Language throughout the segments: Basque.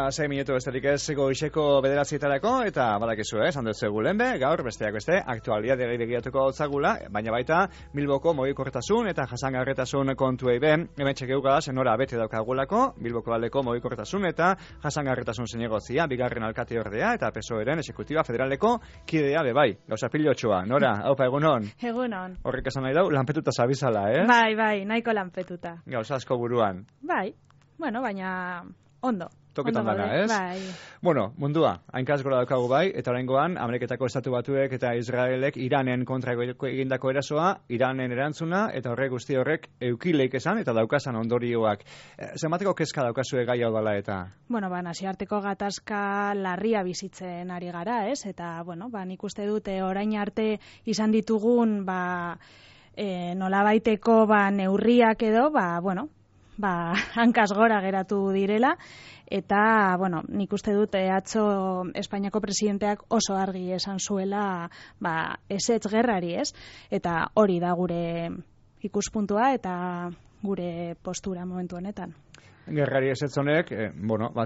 Eta 6 minutu besterik ez goizeko 9:00 eta badakizu, esan dut zegulen gaur besteak beste aktualitateari begiratuko zagula, baina baita Bilboko mugikortasun eta jasangarritasun kontuei hemen txekeuka zenora bete daukagulako, Bilboko aldeko mugikortasun eta jasangarritasun zinegozia, bigarren alkateordea eta PSOEren exekutiba federaleko kidea bai. Gauza pilotxoa, Nora, haupa egunon? Egunon. Horrek esan nahi dau, lanpetuta zabizala, ez? Bai, nahiko lanpetuta. Gauza asko buruan. Bai, baina ondo. Toketan dana, ez? Bai. Bueno, mundua, hainkaz gora daukagu bai, eta oraingoan Ameriketako Estatu Batuek eta Israelek Iranen kontra egindako erasoa, Iranen erantzuna, eta guzti horrek eukileik esan eta daukasan ondorioak. Zenbateko kezka daukazue gai hau dela eta? Nazioarteko gatazka larria bizitzen ari gara, ez? Eta, nik uste dute orain arte izan ditugun, nolabaiteko neurriak edo, hankaz gora geratu direla, eta, nik uste dut atzo Espainiako presidenteak oso argi esan zuela, ezetz gerrari, ez? Eta hori da gure ikuspuntua eta gure postura momentu honetan. Gerrari ezetz honek,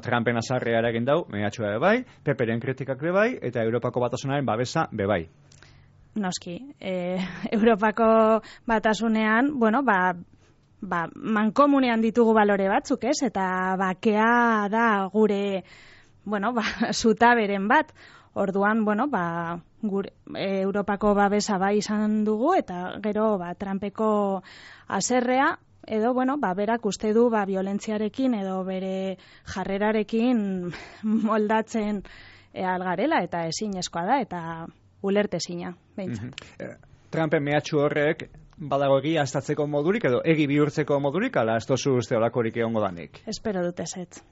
Trumpen azarrea eragin dau, mehatxua bebai, Peperen kritikak bebai, eta Europako Batasunaren babesa bebai. Noski, Europako Batasunean, mankomunean ditugu balore batzuk, ez? Eta bakea da gure, zutaberen bat. Orduan, gure Europako babesa bai izan dugu, eta gero, Trumpeko haserrea, edo, berak uste du, violentziarekin edo bere jarrerarekin moldatzen algarela, eta ezinezkoa da, eta ulertezina, behintzat. Trumpen mehatxu horrek, badago egia aztatzeko modurik edo egi bihurtzeko modurik, ala ez tozu uste olakorik egongo danik? Espero dut ezetz.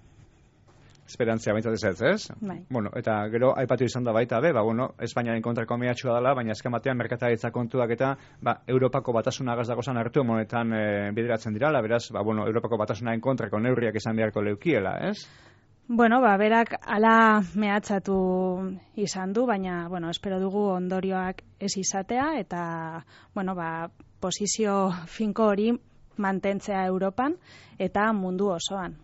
Esperantzia baintzat ezetz, ez? Bai. Eta gero aipatu izan da baita, Espainiaren kontrako mehatxua dela, baina azken batean merkataritza kontuak eta Europako Batasunagaz dagozan hartu monetan bideratzen dirala, beraz, Europako Batasunaren kontrako neurriak izan beharko leukiela, ez? Berak ala mehatzatu izan du, baina, espero dugu ondorioak ez izatea, eta, posizio finko hori mantentzea Europan eta mundu osoan.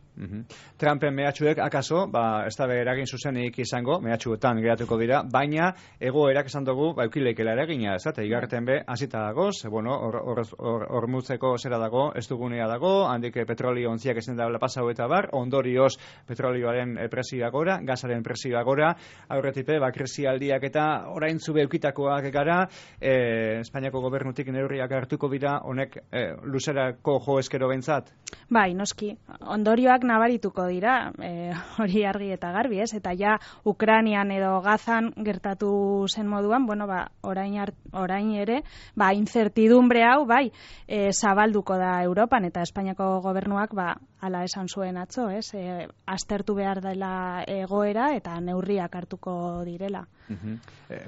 Trumpen mehatxuek akaso, ez da eragin zuzenik izango, mehatxuetan geratuko dira, baina egoerak esan dugu, eukileikela eragina, ez da, eta igarten hasita dagoz, hormutzeko zera dago, ez dugunea dago, handik petrolio ontziak ezin da pasau eta bar, ondorioz petrolioaren presioa gora, gazaren presioa gora, aurretipe, krisialdiak eta orain zube eukitakoak gara, Espainiako gobernutik neurriak hartuko dira, honek luzerako jo eskero bentzat? Bai, noski, ondorioak nabarituko dira, hori argi eta garbi, ez? Eta ja Ukrainian edo Gazan gertatu zen moduan, orain ere, incertidumbre hau, zabalduko da Europan, eta Espainiako gobernuak, hala esan zuen atzo, ez? Aztertu behar dela egoera eta neurriak hartuko direla.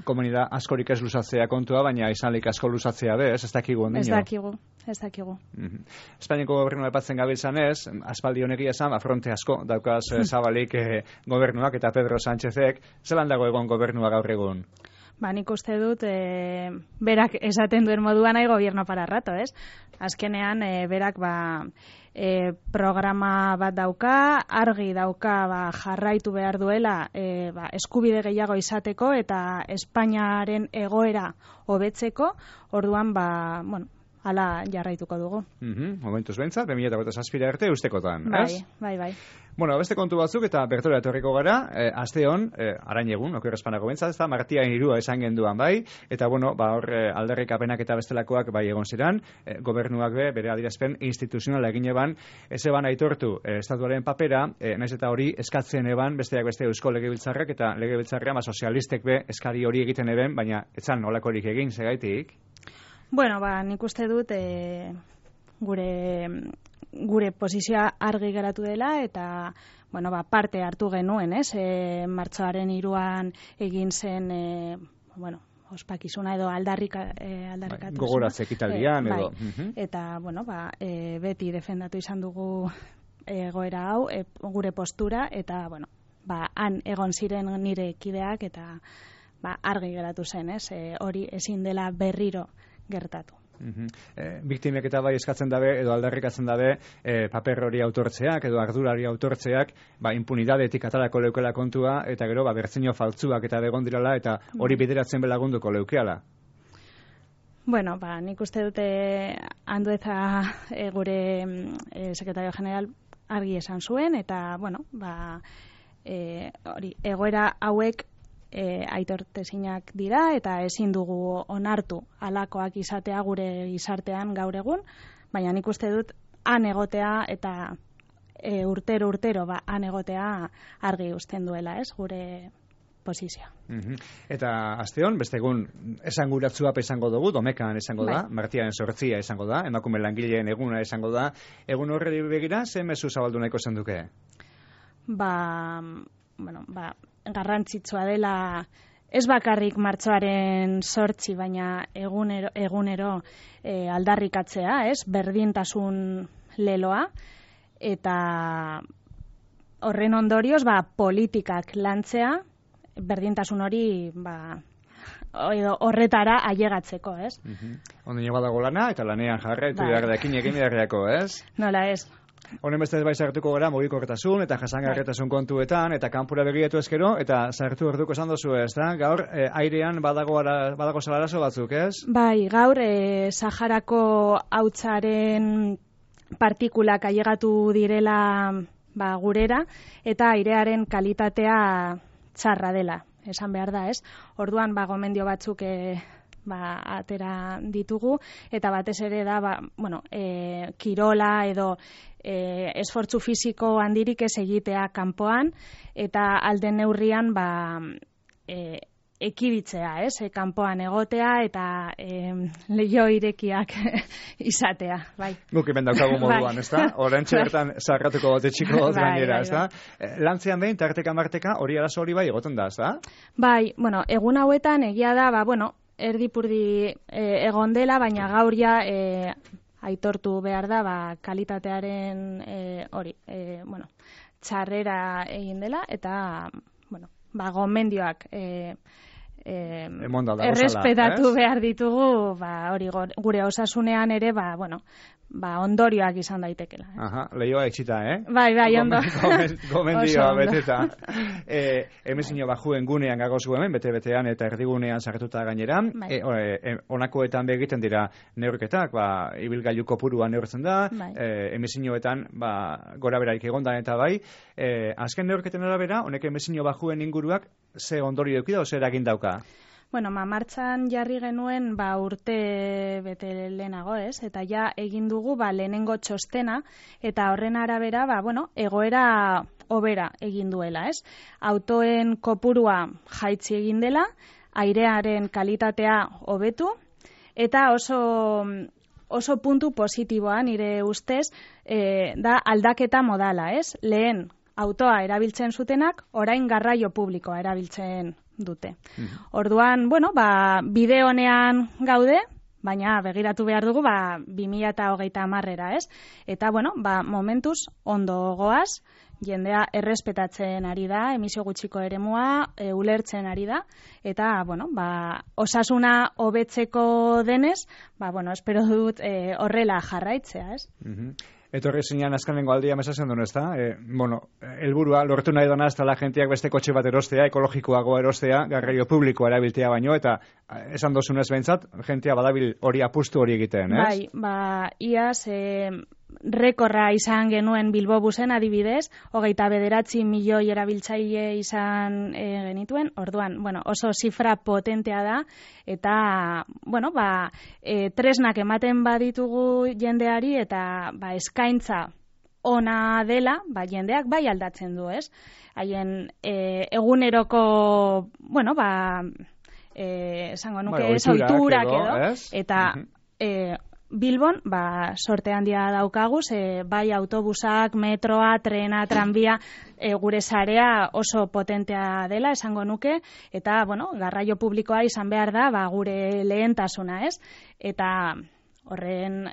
Komunidad askorik ez luzatzea kontua, baina izanlik asko luzatzea be, ez dakigu ondino? Ez dakigu. Espainiako gobernua epatzen gabiltzan ez, aspaldi honekia esan, fronte asko daukaz zabalik gobernuak eta Pedro Sánchezek, zelan dago egon gobernua gaur egun? Nik uste dut, berak esaten duen moduan nahi gobierno para rato, ez? Azkenean, berak programa bat dauka, argi dauka jarraitu behar duela eskubide gehiago izateko eta Espainiaren egoera hobetzeko, orduan, hala jarraituko dugu. Momentuz behintzat, 2027 arte ustekotan, ez? Bai. Beste kontu batzuk eta bertora etorriko gara, aste hon, arain egun, oker espanako bentzat, ez da, martiain irua esan genduan eta hor aldarrikapenak eta bestelakoak egon ziren, gobernuak bere adierazpen instituzionala egin eban, ez eban aitortu estatuaren papera, naiz eta hori eskatzen eban, besteak beste Eusko Legebiltzarrak eta Legebiltzarra eskalistek eskari hori egiten eben, baina etzan nolakorik egin, segaitik? Nik uste dut gure posizioa argi geratu dela eta parte hartu genuen, ez? Martxoaren 3 egin zen ospakizuna edo aldarrikatu. Gogoratze ekitaldian edo. Eta, beti defendatu izan dugu egoera hau, gure postura, eta, han egon ziren nire kideak eta argi geratu zen, ez? Hori ezin dela berriro gertatu. Biktimek eta bai eskatzen dabe, edo aldarrikatzen dabe, paper hori autortzeak, edo ardurari autortzeak, impunidadetik atarako leukela kontua, eta gero, bertzino faltzuak eta begon dirala, eta hori bideratzen belagunduko leukeala. Bueno, nik uste dute Andueza gure sekretario general argi esan zuen, eta, hori, egoera hauek aitortezinak dira, eta ezin dugu onartu halakoak izatea gure gizartean gaur egun, baina nik uste dut han egotea eta urtero han egotea argi uzten duela, ez, gure posizioa. Eta asteon, beste egun esanguratzua izango dugu, Domekan izango da, Martiaren 8 izango da, emakume langileen eguna izango da. Egun horri begira, ze mezu zabaldu nahiko zenduke? Garrantzitsua dela, ez bakarrik martxoaren 8, baina egunero aldarrikatzea, ez? Berdintasun leloa, eta horren ondorioz, politikak lantzea, berdintasun hori horretara ailegatzeko, ez? Ondino badago lana, eta lanean jarraitu egin beharreako, ez? Nola ez. Honen beste bai sartuko gara mugikortasun eta jasangarritasun kontuetan, eta kanpura begiratu ezkero, eta sartu orduko esan dozu, ez da? Gaur, airean badago salarazo batzuk, ez? Bai, gaur, Saharako hautsaren partikulak ailegatu direla gurera, eta airearen kalitatea txarra dela, esan behar da, ez? Orduan, gomendio batzuk atera ditugu, eta batez ere da, kirola edo esfortzu fisiko handirik ez egitea kanpoan, eta alden neurrian ekiditzea, ez? Kanpoan egotea eta leiho irekiak izatea, bai. Guk hemen daukagu moduan, ez da? Orantxe bertan zarratuko bote txiko gainera, ez da? Lantzean behin, tarteka marteka, hori arazo hori bai egoten da, ez da? Bai, egun hauetan egia da, erdipurdi egon dela, baina gaur ja aitortu behar da, kalitatearen txarrera egin dela, eta, gomendioak errespetatu behar ditugu, hori gure osasunean ere, ondorioak izan daitekela. Lehioa etxita, Bai, ondo. Gomendioa beteta. Hemezino bajuen gunean gagozu hemen, bete-betean eta erdigunean sartuta gainera. Honakoetan begiten dira neurketak, ibilgailu kopurua neurtzen da, hemezinoetan gora beraik egondan eta bai. Azken neurketen arabera, honek hemezino bajuen inguruak ze ondorio eukida, o zer egin dauka? Martxan jarri genuen urte bete lehenago, ez? Eta ja egin dugu lehenengo txostena, eta horren arabera, egoera hobera egin duela, ez? Autoen kopurua jaitsi egin dela, airearen kalitatea hobetu, eta oso puntu positiboa nire ustez da aldaketa modala, ez? Lehen autoa erabiltzen zutenak, orain garraio publikoa erabiltzen dute. Orduan, bide honean gaude, baina begiratu behar dugu 2030era, ez? Eta, momentuz ondo goaz, jendea errespetatzen ari da, emisio gutxiko eremua, ulertzen ari da, eta, osasuna hobetzeko denez, espero dut horrela jarraitzea, ez? Etorri zinean azkanengo aldia mesatzen duen, ez da? Helburua lortu nahi dona ez da la jentiak beste kotxe bat erostea, ekologikoagoa erostea, garraio publikoa erabiltea baino, eta esan dozunez behintzat, jentia badabil hori apustu hori egiten, ez? Bai, iaz, rekorra izan genuen Bilbo busen adibidez, 29 milioi erabiltzaile izan genituen, orduan, oso zifra potentea da, eta, tresnak ematen baditugu jendeari, eta eskaintza ona dela, jendeak bai aldatzen du, ez? Haien eguneroko, esango nuke, oiturak edo, eta Bilbon, sorte handia daukagu, bai autobusak, metroa, trena, tranbia, gure sarea oso potentea dela, esango nuke, eta, garraio publikoa izan behar da, gure lehentasuna, ez? Eta horren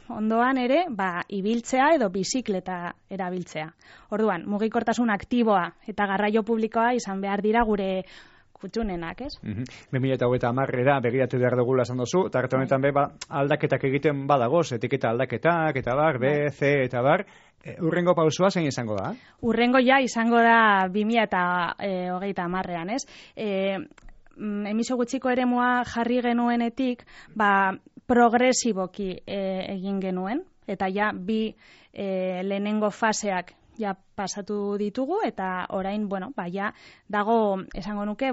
ondoan ere, ibiltzea edo bizikleta erabiltzea. Orduan, mugikortasun aktiboa eta garraio publikoa izan behar dira gure kutxunenak, ez? 2030era begiratu behar dugula esan duzu, eta hartu honetan aldaketak egiten badagoz, etiketa aldaketak, eta bar, B, C, eta bar, urrengo pausua zein izango da? Urrengo izango da 2030ean, ez? Emisio gutxiko eremua jarri genuenetik, progresiboki egin genuen, eta bi lehenengo faseak pasatu ditugu, eta orain, dago, esango nuke,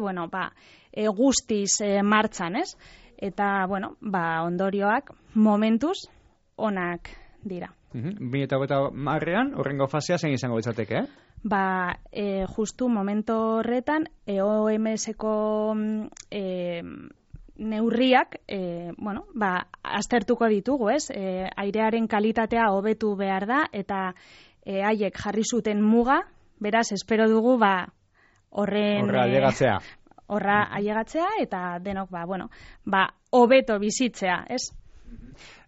guztiz martxan, ez? Eta, ondorioak momentuz onak dira. 2030ean, horrengo fasea zein izango ditzateke, justu momentu horretan, OMS-eko neurriak, aztertuko ditugu, ez? Airearen kalitatea hobetu behar da, eta haiek jarri zuten muga, beraz, espero dugu, horra ailegatzea, eta denok, hobeto bizitzea, ez?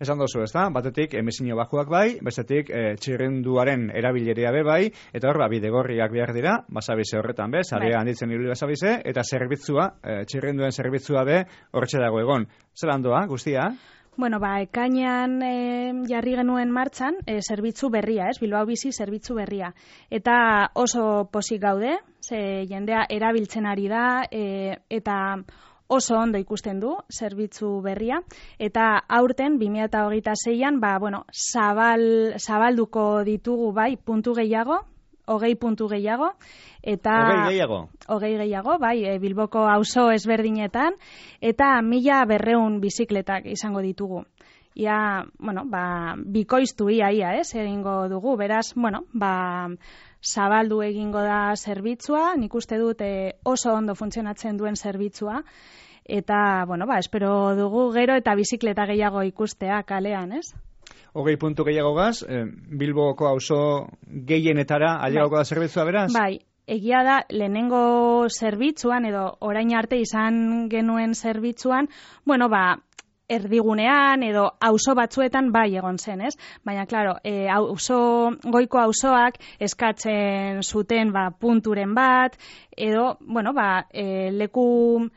Esan dozu, ez da? Batetik, emisinio bajuak bai, bestetik, txirrinduaren erabilerea bai, eta hor, bidegorriak behar dira, basabize horretan be, zarea handitzen ibili basabize, eta zerbitzua, txirrinduen zerbitzua be, hortxe dago egon. Zer handoa, guztia? Ekainean jarri genuen martxan, zerbitzu berria, ez? Bilbao Bizi zerbitzu berria. Eta oso pozik gaude, ze jendea erabiltzen ari da, eta oso ondo ikusten du zerbitzu berria, eta aurten 2026an zabalduko ditugu puntu gehiago, 20 puntu gehiago, eta 20 gehiago, Bilboko auzo ezberdinetan, eta 1200 bizikletak izango ditugu. Ia, bikoiztu ia, egingo dugu, beraz, zabaldu egingo da zerbitzua, nik uste dut oso ondo funtzionatzen duen zerbitzua, eta, espero dugu gero eta bizikleta gehiago ikustea kalean, ez? 20 puntu gehiago gaz, Bilboko auzo gehienetara ailegatuko da zerbitzua, beraz? Egia da, lehenengo zerbitzuan, edo orain arte izan genuen zerbitzuan, erdigunean edo auzo batzuetan egon zen, ez? Baina, klaro, goiko auzoak eskatzen zuten punturen bat, edo, leku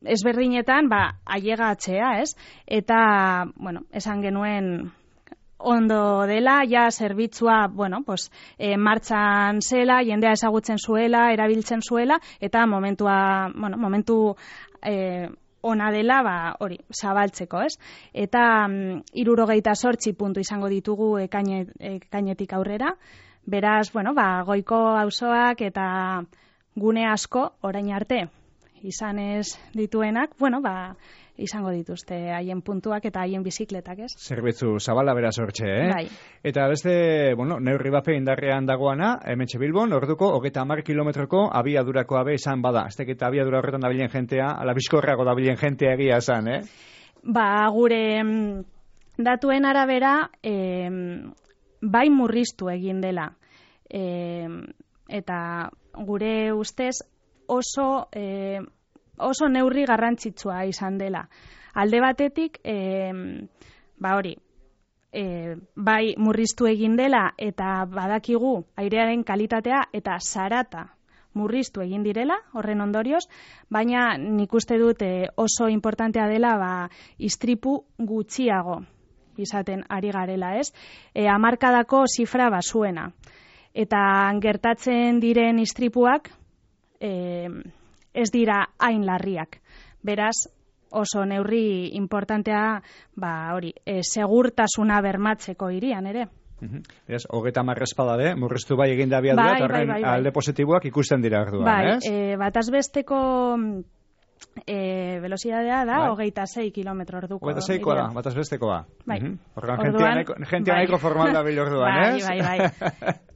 ezberdinetan ailegatzea, ez? Eta, esan genuen ondo dela, zerbitzua, martxan zela, jendea ezagutzen zuela, erabiltzen zuela, eta momentu ona dela, zabaltzeko, ez? Eta 78 puntu izango ditugu ekainetik aurrera, beraz, goiko auzoak eta gune asko orain arte izan ez dituenak, izango dituzte haien puntuak eta haien bizikletak, ez? Zerbitzu zabala beraz hortxe, Eta beste, neurri bape indarrean dagoana, hementxe Bilbon, orduko, 30 kilometroko abiadurakoa be izan bada. Ez teketa abiadura horretan dabilen jentea, ala bizkorrago dabilen jentea egia esan, Gure datuen arabera, bai murriztu egin dela. Eta gure ustez oso neurri garrantzitsua izan dela. Alde batetik, bai murriztu egin dela eta badakigu airearen kalitatea eta zarata murriztu egin direla, horren ondorioz, baina nik uste dut oso importantea dela istripu gutxiago izaten ari garela, ez? Hamarkadako zifra zuena. Eta gertatzen diren istripuak ez dira hain larriak. Beraz, oso neurri importantea, segurtasuna bermatzeko hirian ere. Beraz, 30 espada de, murriztu bai egin da abiadura, eta horren alde positiboak ikusten dira orduan, ez? Batazbesteko velocidadea da 26 kilometro orduko. 26koa da, batazbestekoa. Orduan, jentea nahiko formal da bil orduan, ez? Bai.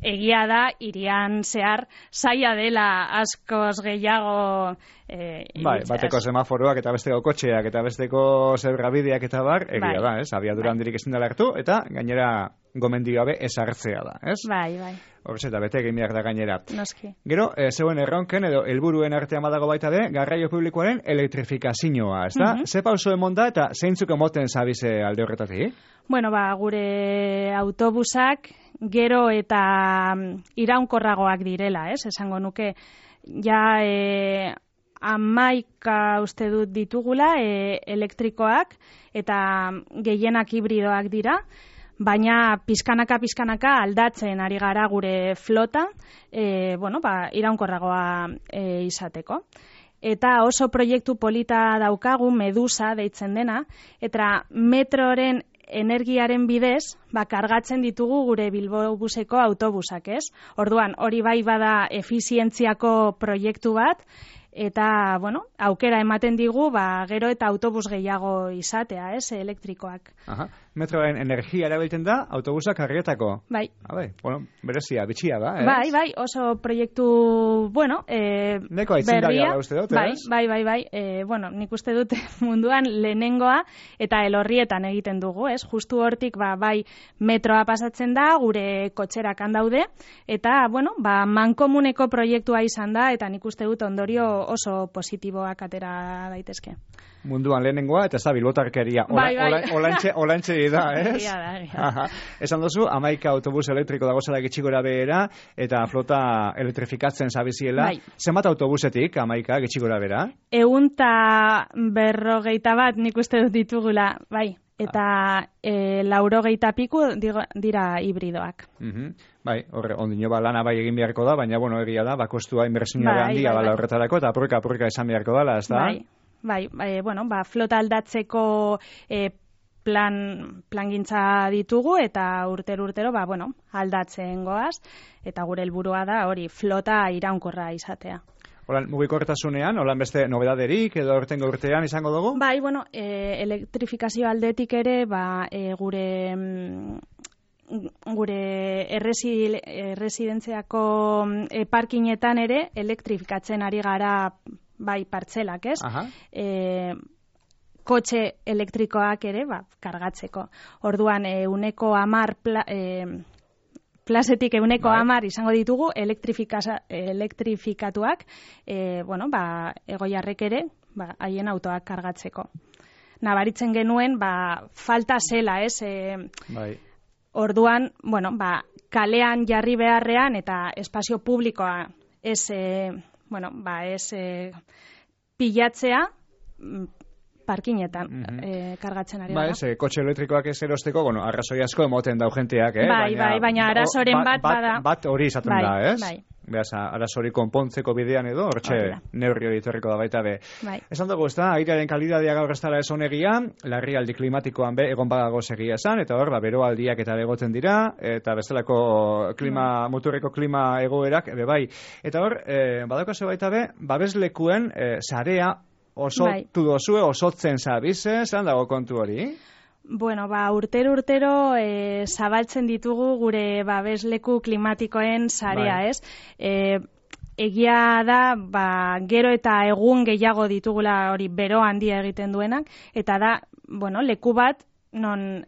Egia da, irian zehar zaila dela askoz gehiago bateko semaforoak eta besteko kotxeak eta besteko zergabideak eta bar, egia da, ez? Abiadura handirik ezin dela hartu, eta gainera gomendioa be ezartzea da, ez? Bai. Hortz eta bete egin behar da gainera. Noski. Gero, zeuen erronken edo helburuen artean badago baita de, garraio publikoaren elektrifikazioa, ez da? Ze pauso emon da eta zeintzuk emoten zabize alde horretatik? Gure autobusak gero eta iraunkorragoak direla, ez? Esango nuke, 11 uste dut ditugula elektrikoak, eta gehienak hibridoak dira, baina pizkanaka aldatzen ari gara gure flota, iraunkorragoa izateko. Eta oso proiektu polita daukagu, Medusa deitzen dena, eta metroren energiaren bidez, kargatzen ditugu gure Bilbobuseko autobusak, ez? Orduan, hori bai bada efizientziako proiektu bat, eta, aukera ematen digu, gero eta autobus gehiago izatea, ez, elektrikoak. Aha. Metroen energia erabiltzen da, autobusak kargetako. Bai. Berezia, bitxia da, ez? Bai, oso proiektu, neko aitzen da uste dut, ez? Bai. Nik uste dut munduan lehenengoa eta elorrietan egiten dugu, ez? Justu hortik, bai, metroa pasatzen da, gure kotxerak handaude, eta, mankomuneko proiektua izan da, eta nik uste dut ondorio oso positiboak atera daitezke. Munduan lehenengoa, eta ez da bilbotarkeria. Olantxe da, ez? Egia. Esan duzu, 11 autobus elektriko dagozela gitxigora behera, eta flota elektrifikatzen zabiziela. Bai. Zenbat autobusetik, 11 gitxigora behera? 150 nik uste dut ditugula, bai. Eta 80 piku dira hibridoak. Bai, horre, ondino lana bai egin beharko da, baina, egia da, kostua inbertsioa handia bala horretarako, eta apurka esan beharko dala, ez da? Bai, flota aldatzeko plangintza ditugu, eta urtero, aldatzen goaz, eta gure helburua da hori flota iraunkorra izatea. Holan, mugikortasunean, holan beste nobedaderik edo urtengo urtean izango dugu? Bai, elektrifikazio aldetik ere, gure erresidentziako parkinetan ere elektrifikatzen ari gara bai partzelak, ez? Kotxe elektrikoak ere, kargatzeko. Orduan, 10 plazetik 10 izango ditugu elektrifikatuak, egoiarrek ere, haien autoak kargatzeko. Nabaritzen genuen, falta zela, ez? Bai. Orduan, kalean jarri beharrean eta espazio publikoa ez pilatzea parkinetan kargatzen ari da. Kotxe elektrikoak ez erosteko, arrazoi asko emoten dau jenteak, Bai, baina arazoren bat bada. Bat hori izaten da, ez? Bai. Beaz, arazori konpontzeko bidean edo, hortxe neurri hori torriko da baita be. Bai. Esan dugu, ez da, airearen kalidadea gaur ez dara ez onegia, larrialdi klimatikoan egon badago segia esan, eta hor, beroaldiak eta begoten dira, eta bestelako muturreko klima egoerak, bai. Eta hor, badaukazu baita be, babeslekuen sarea osotu dozue, osotzen zabize, zelan dago kontu hori? Urtero zabaltzen ditugu gure babesleku klimatikoen sarea, ez? Egia da, gero eta egun gehiago ditugula hori bero handia egiten duenak, eta da, leku bat non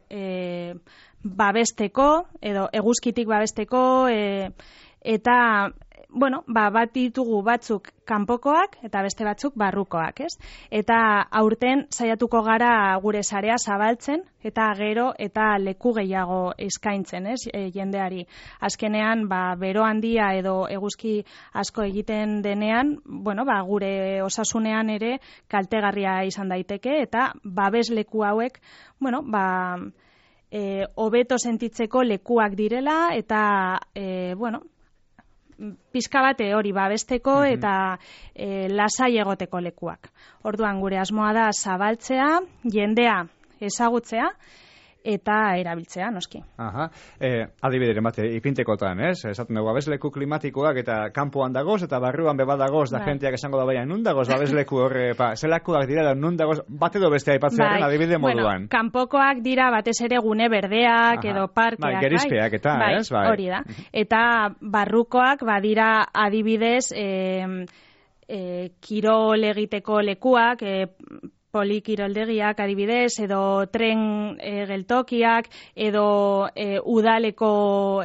babesteko, edo eguzkitik babesteko, eta bat ditugu batzuk kanpokoak eta beste batzuk barrukoak, ez? Eta aurten saiatuko gara gure sarea zabaltzen eta gero eta leku gehiago eskaintzen, ez? Jendeari. Azkenean, bero handia edo eguzki asko egiten denean, gure osasunean ere kaltegarria izan daiteke eta babesleku hauek, hobeto sentitzeko lekuak direla eta, pizka bate hori babesteko eta lasai egoteko lekuak. Orduan gure asmoa da zabaltzea, jendea ezagutzea eta erabiltzea, noski. Adibideren bate, ipintekotan, ez? Esaten dugu, babesleku klimatikoak eta kanpoan dagoz, eta barruan bebadagoz, da jenteak esango da baina, nun dagoz babesleku horre, zelakoak dira, da nun dagoz, bat edo beste aipatzearen adibide moduan. Kanpokoak dira batez ere gune berdeak edo parkeak, gerizpeak eta, ez? Hori da. Eta barrukoak badira adibidez kirol egiteko lekuak, polikiroldegiak adibidez, edo tren geltokiak, edo udaleko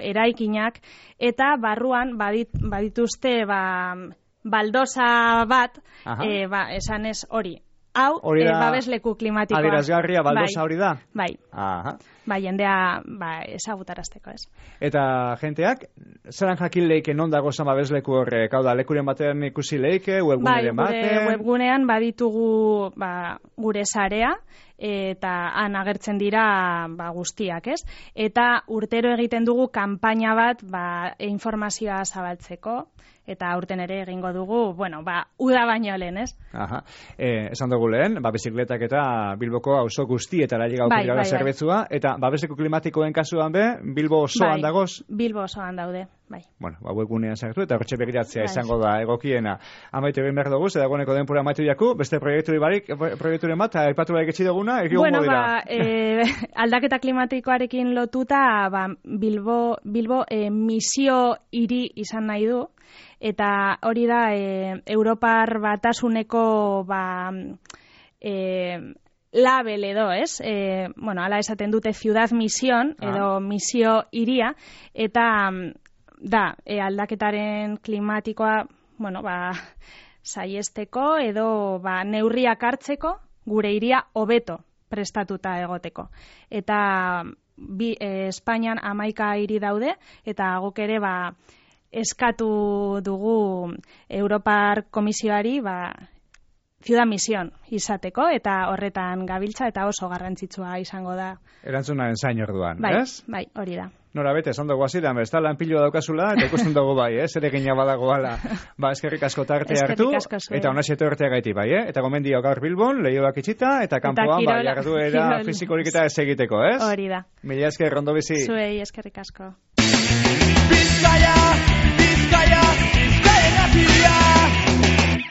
eraikinak, eta barruan badituzte baldosa bat, esanez hori, hau babesleku klimatikoa. Adierazgarria baldosa hori da? Bai. Aha. Bai, jendea ezagutarazteko, ez. Eta jenteak, zelan jakin leike non dago zan babesleku horrek? Hau da, lekuren batean ikusi leike, webguneren batean? Bai, webgunean baditugu gure sarea, eta han agertzen dira guztiak, ez? Eta urtero egiten dugu kanpaina bat informazioa zabaltzeko, eta aurten ere egingo dugu, uda baino lehen, ez? Aha. Esan dugu lehen, bizikletak eta Bilboko auzo guztietara llegauko dira zerbitzua, eta babesleku klimatikoen kasuan Bilbo osoan dagoz? Bilbo osoan daude, bai. Webgunean sartu, eta hortxe begiratzea izango da egokiena. Amaitu egin behar dugu, dagoeneko denpura amaitu jaku, beste proiekturen bat, aipatu barik etxi duguna, egongo dira. Aldaketa klimatikoarekin lotuta, Bilbo misio hiri izan nahi du, eta hori da Europar Batasuneko label edo, ez? Hala esaten dute ciudad misión edo misio hiria, eta da aldaketaren klimatikoa saiesteko edo neurriak hartzeko gure hiria hobeto prestatuta egoteko. Eta Espainian 11 hiri daude, eta guk ere eskatu dugu Europar Komisioari ciudad misión izateko, eta horretan gabiltza, eta oso garrantzitsua izango da. Erantzunaren zain orduan, ez? Bai, hori da. Nora bete, esan dugu aziran, ez da lanpilua daukazula, eta ikusten dugu ere gina badagoala. Eskerrik asko tarte hartu, eta hona xeto ertea gaiti Eta gomendio gaur Bilbon, lehioak itxita, eta kanpoan jarduera fizikorik eta ez egiteko, ez? Hori da. Mila esker, ondo bizi. Zuei, eskerrik asko. Bizkaia!